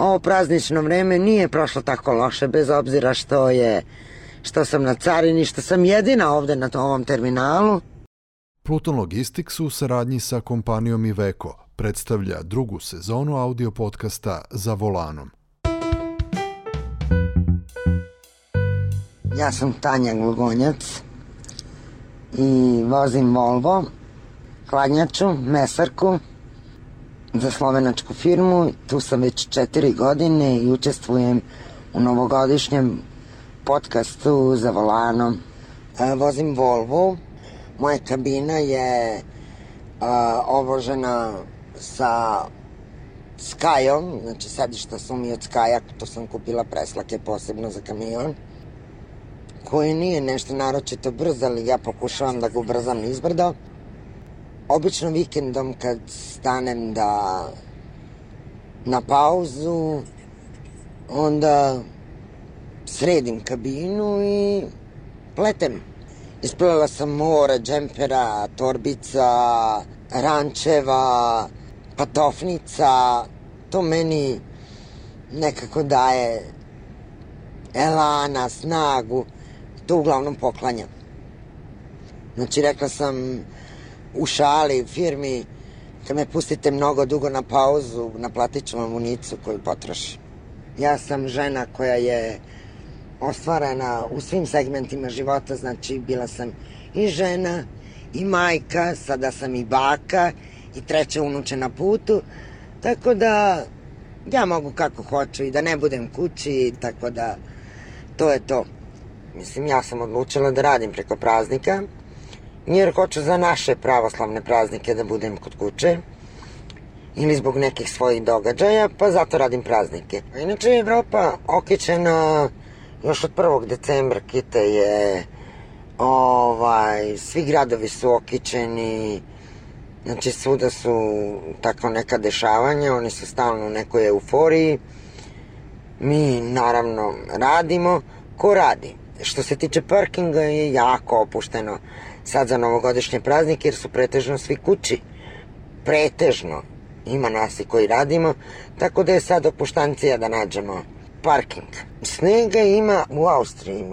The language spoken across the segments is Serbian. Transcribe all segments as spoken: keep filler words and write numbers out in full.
ovo praznično vreme nije prošlo tako loše, bez obzira što je, što sam na carini, što sam jedina ovde na ovom terminalu. Pluton Logistics u saradnji sa kompanijom Iveco predstavlja drugu sezonu audio podcasta Za volanom. Ja sam Tanja Glugonjac i vozim Volvo, hladnjaču, mesarku za slovenačku firmu. Tu sam već četiri godine i učestvujem u novogodišnjem podcastu Za volanom. E, vozim Volvo. Moja kabina je a, obložena sa Skajom, znači sedišta su mi od Skaja, to sam kupila preslake posebno za kamion, koji nije nešto naročito brzo, ali ja pokušavam da ga ubrzam nizbrdo. Obično vikendom kad stanem da na pauzu, onda sredim kabinu i pletem. Isplela sam more, džempera, torbica, rančeva, patofnica. To meni nekako daje elana, snagu. To uglavnom poklanjam. Znači, rekla sam u šali, firmi, kad me pustite mnogo dugo na pauzu, naplatit ću vam unicu koju potrošim. Ja sam žena koja je ostvarena u svim segmentima života, znači bila sam i žena, i majka, sada sam i baka, i treća unuče na putu, tako da ja mogu kako hoću i da ne budem kući, tako da to je to. Mislim, ja sam odlučila da radim preko praznika, jer hoću za naše pravoslavne praznike da budem kod kuće, ili zbog nekih svojih događaja, pa zato radim praznike. Inače je Evropa okićena još od prvog decembra, Kite je, ovaj, svi gradovi su okićeni, znači svuda su tako neka dešavanja, oni su stalno u nekoj euforiji. Mi naravno radimo, ko radi? Što se tiče parkinga je jako opušteno sad za novogodišnje praznike, jer su pretežno svi kući. Pretežno. Ima nas i koji radimo, tako da je sad opuštancija da nađemo parking. Snega ima u Austriji.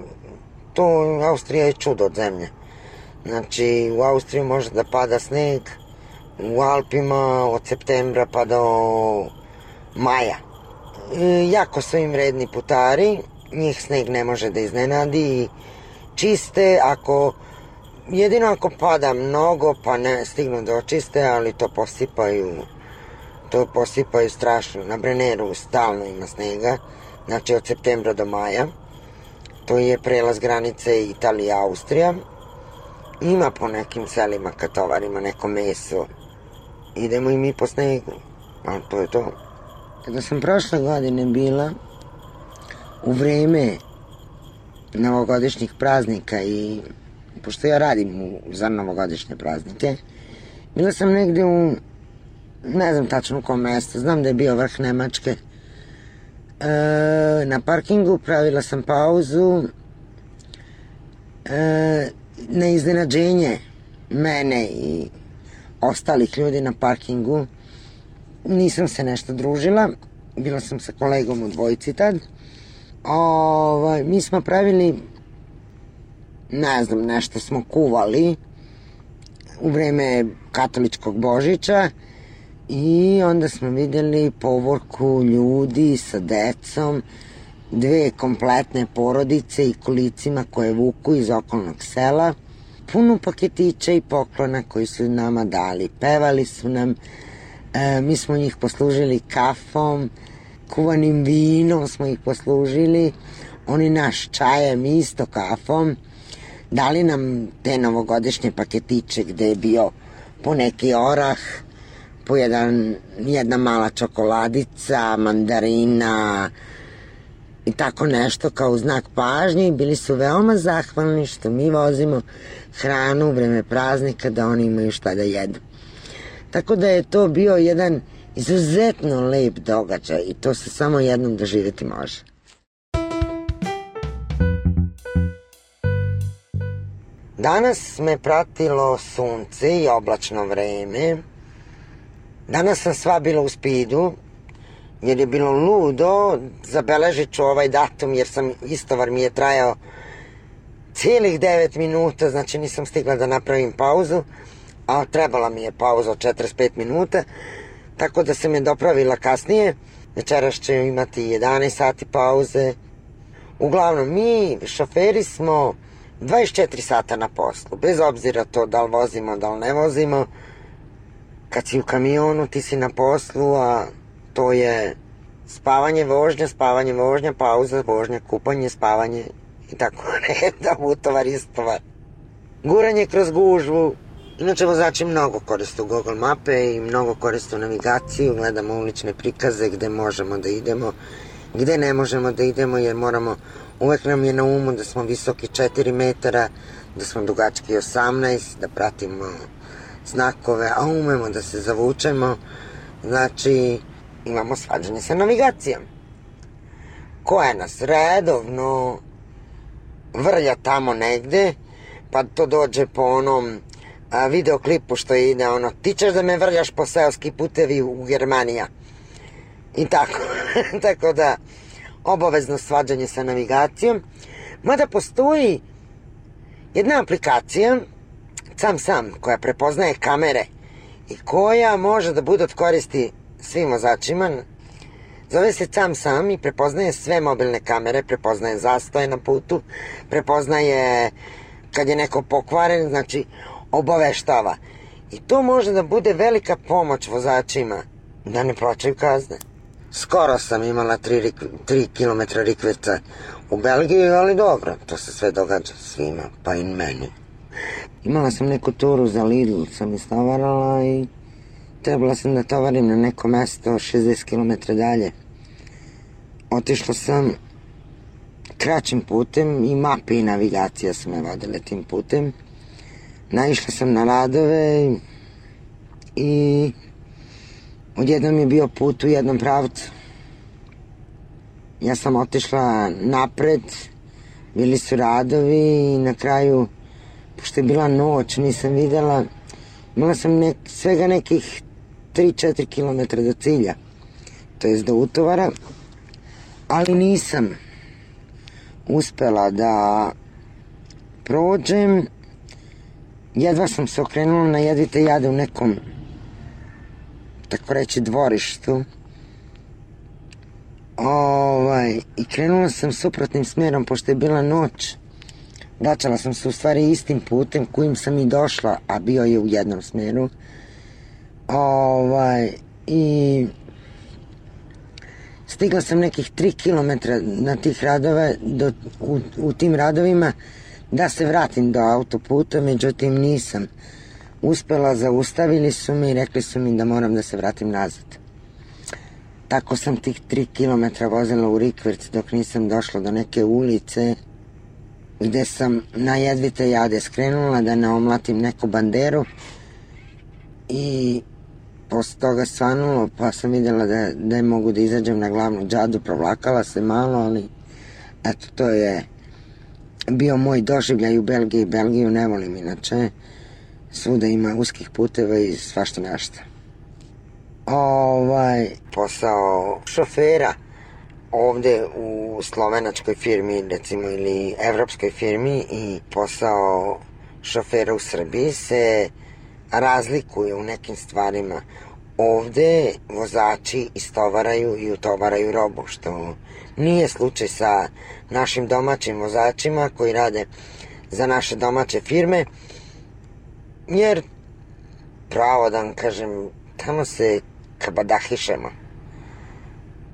To, Austrija je čudo od zemlje. Znači, u Austriji može da pada sneg, u Alpima od septembra pa do maja. E, jako su im vredni putari, njih sneg ne može da iznenadi, čiste ako, jedino ako pada mnogo pa ne stignu da očiste, ali to posipaju, to posipaju strašno. Na Brenneru stalno ima snega, znači od septembra do maja. To je prelaz granice Italija-Austrija. Ima po nekim selima kad tovarimo neko meso, idemo i mi po snegu, ali to je to. Kada sam prošle godine bila u vreme novogodišnjih praznika i pošto ja radim u, za novogodišnje praznike, bila sam negde u, ne znam tačno u kom mestu, znam da je bio vrh Nemačke, e, na parkingu pravila sam pauzu, e, na iznenađenje mene i ostalih ljudi na parkingu. Nisam se nešto družila, bila sam sa kolegom u dvojici tad. Ovaj, mi smo pravili, ne znam, nešto smo kuvali u vreme katoličkog Božića i onda smo vidjeli povorku ljudi sa decom, dve kompletne porodice i kolicima koje vuku iz okolnog sela, puno paketića i poklona koji su nama dali. Pevali su nam, e, mi smo njih poslužili kafom, kuvanim vinom smo ih poslužili, oni naš čajem isto kafom. Dali nam te novogodišnje paketiće gde je bio po neki orah, po jedan, jedna mala čokoladica, mandarina i tako nešto kao znak pažnje i bili su veoma zahvalni što mi vozimo hranu u vreme praznika da oni imaju šta da jedu. Tako da je to bio jedan izuzetno lep događaj i to se samo jednom doživjeti može. Danas me pratilo sunce i oblačno vreme. Danas sam sva bila u spidu. jer je bilo ludo, zabeležit ću ovaj datum jer sam, istovar mi je trajao cijelih devet minuta, znači nisam stigla da napravim pauzu, a trebala mi je pauza od četrdeset pet minuta, tako da sam je dopravila kasnije. Večeras će imati jedanaest sati pauze. Uglavnom, mi šoferi smo dvadeset četiri sata na poslu, bez obzira to da li vozimo, da li ne vozimo. Kad si u kamionu, ti si na poslu, a to je spavanje, vožnja, spavanje, vožnja, pauza, vožnja, kupanje, spavanje i tako redom, utovar, istovar. Guranje kroz gužvu. Inače, vozači mnogo koriste Google mape i mnogo koriste navigaciju, gledamo ulične prikaze gde možemo da idemo, gde ne možemo da idemo, jer moramo, uvek nam je na umu da smo visoki četiri metara, da smo dugački osamnaest, da pratimo znakove, a umemo da se zavučemo, znači imamo svađanje sa navigacijom, koja nas redovno vrlja tamo negde, pa to dođe po onom a, videoklipu što ide ono, ti ćeš da me vrljaš po seoski putevi u Germanija. I tako, tako da obavezno svađanje sa navigacijom, mada postoji jedna aplikacija, sam sam, koja prepoznaje kamere i koja može da bude od koristi svim vozačima. Zove se Sam Sam i prepoznaje sve mobilne kamere, prepoznaje zastoje na putu, prepoznaje kad je neko pokvaren, znači obaveštava. I to može da bude velika pomoć vozačima da ne plaćaju kazne. Skoro sam imala tri kilometra rikverca u Belgiji, ali dobro, to se sve događa svima, pa i meni. Imala sam neku turu za Lidl, sam istovarala i trebala sam da tovarim na neko mesto šezdeset kilometara dalje. Otišla sam kraćim putem i mape i navigacija su me vodile tim putem. Naišla sam na radove i odjednom je bio put u jednom pravcu. Ja sam otišla napred, bili su radovi i na kraju, pošto je bila noć, nisam videla, imala sam nek, svega nekih tri četiri kilometra do cilja, to jest do utovara, ali nisam uspela da prođem. Jedva sam se okrenula na jedvite jade u nekom, tako reći, dvorištu. Ovaj, i krenula sam suprotnim smjerom, pošto je bila noć. Vraćala sam se u stvari istim putem kojim sam i došla, a bio je u jednom smjeru. Ovaj, i stigla sam nekih tri kilometra na tih radova, do, u, u tim radovima, da se vratim do autoputa, međutim nisam uspela, zaustavili su me i rekli su mi da moram da se vratim nazad. Tako sam tih tri kilometra vozila u rikverc dok nisam došla do neke ulice gde sam na jedvite jade skrenula da ne omlatim neku banderu i posle toga svanulo, pa sam vidjela da, da je mogu da izađem na glavnu džadu, provlakala se malo, ali eto, to je bio moj doživljaj u Belgiji. Belgiju ne volim inače, svuda ima uskih puteva i svašta nešto. Ovaj, posao šofera ovde u slovenačkoj firmi, recimo, ili evropskoj firmi, i posao šofera u Srbiji se razlikuje u nekim stvarima. Ovde vozači istovaraju i utovaraju robu, što nije slučaj sa našim domaćim vozačima koji rade za naše domaće firme, jer, pravo da vam kažem, tamo se kabadahišemo.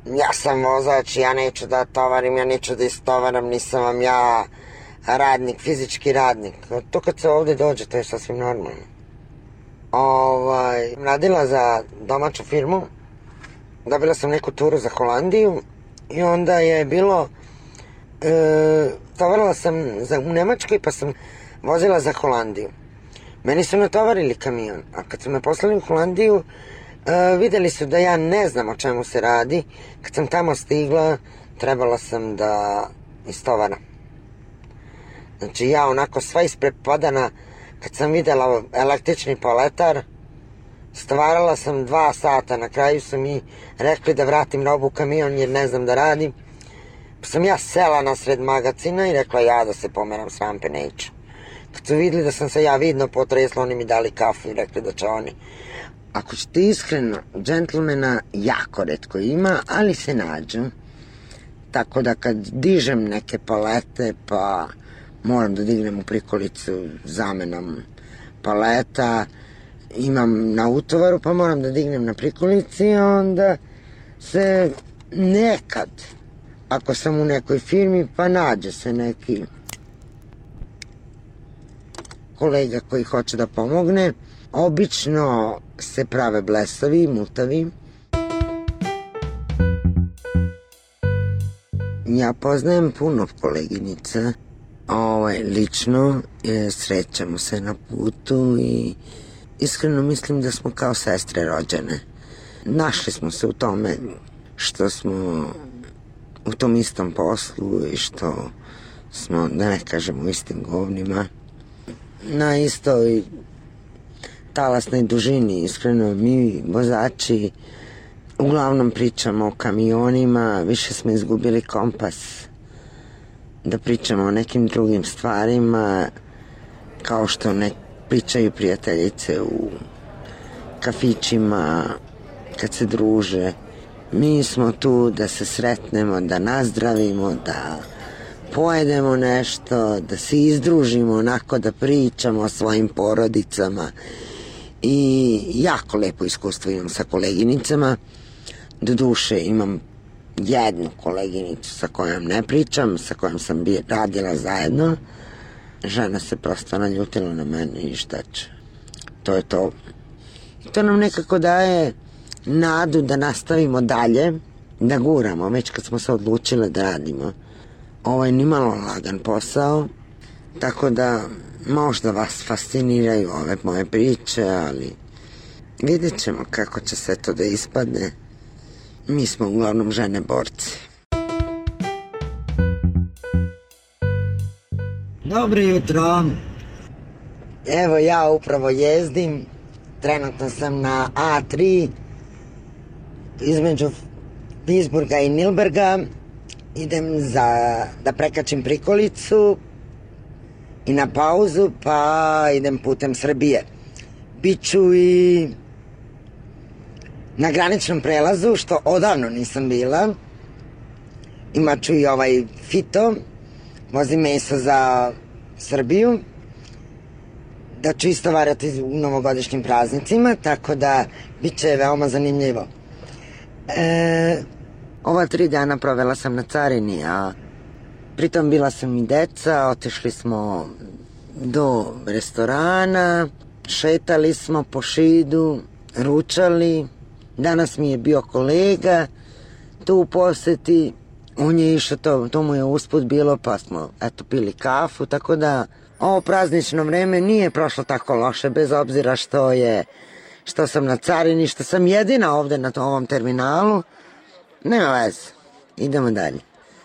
Ja sam vozač, ja neću da tovarim, ja neću da istovaram, nisam vam ja radnik, fizički radnik. To kad se ovde dođe, to je sasvim normalno. Ovaj, radila za domaću firmu, dobila sam neku turu za Holandiju i onda je bilo, e, tovarila sam za, u Nemačkoj, pa sam vozila za Holandiju. Meni su natovarili kamion, a kad su me poslali u Holandiju, e, videli su da ja ne znam o čemu se radi. Kad sam tamo stigla, trebala sam da istovaram. Znači ja onako sva isprepadana, kad sam videla električni paletar, Stvarala sam dva sata, na kraju su mi rekli da vratim robu u kamion jer ne znam da radim. Pa sam ja sela nasred magacina i rekla ja da se pomeram s rampe neću. Kad su vidjeli da sam se ja vidno potresla, oni mi dali kafu i rekli da će oni. Ako ćete iskreno, džentlmena jako retko ima, ali se nađu. Tako da kad dižem neke palete, pa moram da dignem u prikolicu zamenom paleta, imam na utovaru, pa moram da dignem na prikolici, onda se nekad, ako sam u nekoj firmi, pa nađe se neki kolega koji hoće da pomogne. Obično se prave blesavi, mutavi. Ja poznajem puno koleginica, ovaj, lično, je, srećamo se na putu i iskreno mislim da smo kao sestre rođene. Našli smo se u tome što smo u tom istom poslu i što smo, da ne kažemo, u istim govnima. Na istoj talasnoj dužini, iskreno, mi vozači uglavnom pričamo o kamionima, više smo izgubili kompas da pričamo o nekim drugim stvarima, kao što ne pričaju prijateljice u kafićima kad se druže. Mi smo tu da se sretnemo, da nazdravimo, da pojedemo nešto, da se izdružimo, onako da pričamo o svojim porodicama. I jako lepo iskustvo imam sa koleginicama. Doduše imam jednu koleginicu sa kojom ne pričam, sa kojom sam bi radila zajedno. Žena se prosto naljutila na mene i šta će. To je to. I to nam nekako daje nadu da nastavimo dalje, da guramo, već kad smo se odlučile da radimo. Ovo je nimalo lagan posao, tako da možda vas fasciniraju ove moje priče, ali vidjet ćemo kako će se to da ispadne. Mi smo uglavnom žene borci. Dobro jutro. Evo ja upravo jezdim. Trenutno sam na A tri između Pittsburgha i Nilberga. Idem za, da prekačim prikolicu i na pauzu, pa idem putem Srbije. Biću i na graničnom prelazu, što odavno nisam bila. Imaću i ovaj Fito, vozim meso za Srbiju, da ću isto varati u novogodišnjim praznicima, tako da bit će veoma zanimljivo. E, ova tri dana provela sam na carini, a pritom bila sam i deca, otišli smo do restorana, šetali smo po Šidu, ručali. Danas mi je bio kolega tu u poseti, on je išao, to, to mu je usput bilo, pa smo eto pili kafu, tako da ovo praznično vreme nije prošlo tako loše, bez obzira što je, što sam na carini, što sam jedina ovde na ovom terminalu. Nema veze, idemo dalje.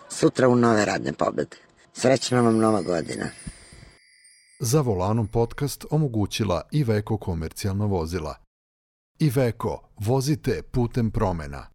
Sutra u nove radne pobede. Srećna vam nova godina. Za Volanom podcast omogućila Iveco komercijalna vozila. Iveco, vozite putem promena.